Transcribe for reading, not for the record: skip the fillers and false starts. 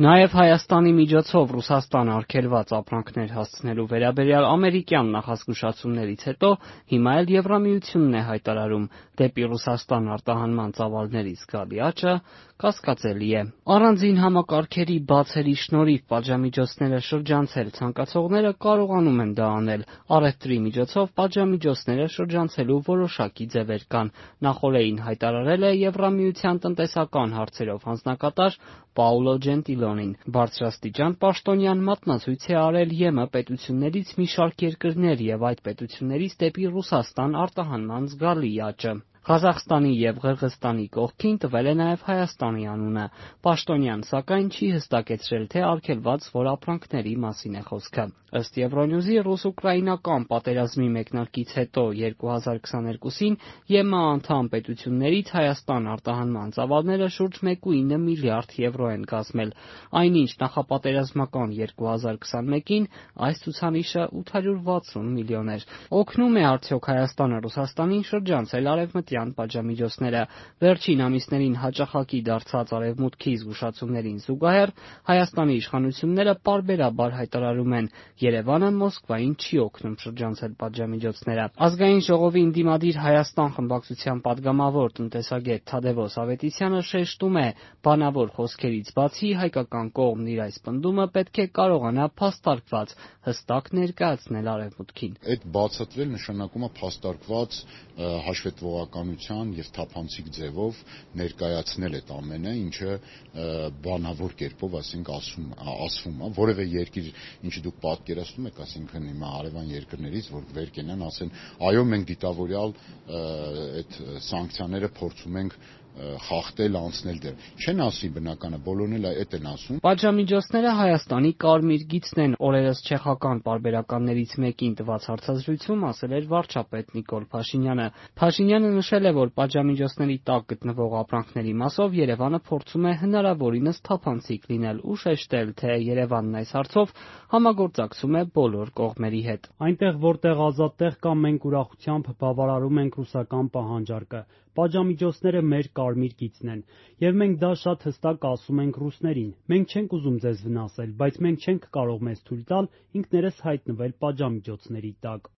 Նաև Հայաստանի միջոցով Ռուսաստան արգելված ապրանքներ հասցնելու վերաբերյալ ամերիկյան նախազգուշացումներից հետո հիմա էլ Եվրամիությունն է հայտարարում դեպի Ռուսաստան արտահանման ծավալների զգալի աճը կասկածելի է։ Առանձին համակարգերի բացերի շնորհիվ պատժամիջոցները շրջանցել ցանկացողները կարողանում են դա անել։ Առևտրի միջոցով պատժամիջոցները շրջանցելու որոշակի ձևեր կան։ Նախօրեին հայտարարել է Եվրամիության տնտեսական հարցերով հանձնակատար Պաուլո Ջենտիլոնին։ Բարձրաստիճան պաշտոնյան մատնացույց է արել ԵՄ պետություններից մի շարք երկրներ և այդ պետություններից դեպի Ռուսաստան արտահանման զգալի աճը։ Ղազախստանի և Ղրղըզստանի կողքին տվել է նաև Հայաստանի անունը։ Պաշտոնյան, սակայն, չի հստակեցրել, թե արգելված որ ապրանքների մասին է խոսքը։ Ըստ Euronews-ի, ռուս-ուկրաինական պատերազմի մեկնարկից հետո 2022-ին ԵՄ անդամ պետություններից Հայաստան արտահանման ծավալները շուրջ 1,9 միլիարդ եվրո են կազմել, այնինչ նախապատերազմական 2021-ին այս ցուցանիշը 860 միլիոն էր։ Օգնում է արդյոք Հայաստանը Ռուսաստանին շրջանցել արևմտյան պատժամիջոցները։ Վերջին ամիսներին հաճախակի դարձած Արևմուտքի զգուշացումներին զուգահեռ Հայաստանի իշխանությունները պարբերաբար հայտարարում են՝ Երևանը Մոսկվային չի օգնում շրջանցել պատժամիջոցները։ Ազգային ժողովի ընդդիմադիր Հայաստան խմբակցության պատգամավոր տնտեսագետ Թադևոս Ավետիսյանը շեշտում է՝ բանավոր խոսքերից բացի հայկական կողմն իր այս պնդումը պետք է կարողանա փաստարկված հստակ ներկայացնել Արևմուտքին։ Այդ բացատրել նշանակում է փաստարկված հաշվետվողականության և թափանցիկ ձևով ներկայացնել այդ ամենը, ինչը բանավոր կերպով ասվում է, որևէ երկիր, ինչը դուք պատկերացնում եք, ասենք հիմա հարևան երկրներից, որ վեր կենան, ասեն, այո, մենք դիտավորյալ այդ սանկցիաները փորձում ենք խախտել, անցնել դեռ։ Չեն ասի բնականը, բոլորն էլ այդ են ասում։ Պատժամիջոցները Հայաստանի կարմիր գիծն են, օրերս չեխական պարբերականներից մեկին տված հարցազրույցում ասել էր վարչապետ Նիկոլ Փաշինյանը։ Փաշինյանը նշել է, որ պատժամիջոցների տակ գտնվող ապրանքների մասով Երևանը փորձում է հնարավորինս թափանցիկ լինել ու շեշտել, թե Երևանն այս հարցով համագործակցում է բոլոր կողմերի հետ։ Այնտեղ, որտեղ ազատ տեղ կա, մենք ուրախությամբ բավարարում ենք ռուսական պահանջարկը։ Պատժամիջոցները մեր կարմիր գիծն են, եւ մենք դա շատ հստակ ասում ենք ռուսներին։ Մենք չենք ուզում ձեզ վնասել, բայց մենք չենք կարող մեզ թույլ տալ ինքներս հայտնվել պատժամիջոցների տակ։